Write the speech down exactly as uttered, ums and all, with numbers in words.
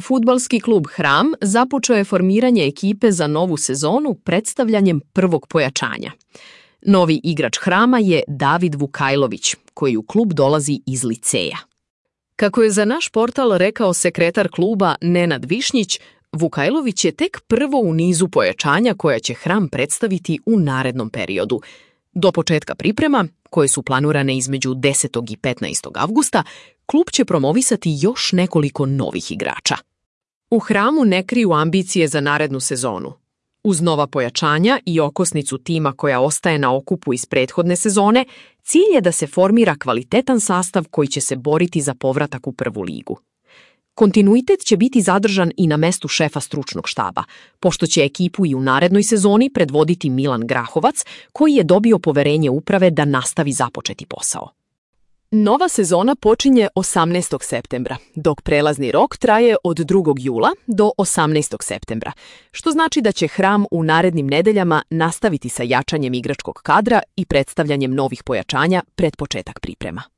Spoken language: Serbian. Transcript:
Fudbalski klub Hram započeo je formiranje ekipe za novu sezonu predstavljanjem prvog pojačanja. Novi igrač Hrama je David Vukajlović, koji u klub dolazi iz liceja. Kako je za naš portal rekao sekretar kluba Nenad Višnjić, Vukajlović je tek prvo u nizu pojačanja koja će Hram predstaviti u narednom periodu. Do početka priprema, koje su planirane između desetog i petnaestog avgusta, klub će promovisati još nekoliko novih igrača. U Hramu ne kriju ambicije za narednu sezonu. Uz nova pojačanja i okosnicu tima koja ostaje na okupu iz prethodne sezone, cilj je da se formira kvalitetan sastav koji će se boriti za povratak u prvu ligu. Kontinuitet će biti zadržan i na mestu šefa stručnog štaba, pošto će ekipu i u narednoj sezoni predvoditi Milan Grahovac, koji je dobio poverenje uprave da nastavi započeti posao. Nova sezona počinje osamnaestog septembra, dok prelazni rok traje od drugog jula do osamnaestog septembra, što znači da će Hram u narednim nedeljama nastaviti sa jačanjem igračkog kadra i predstavljanjem novih pojačanja pred početak priprema.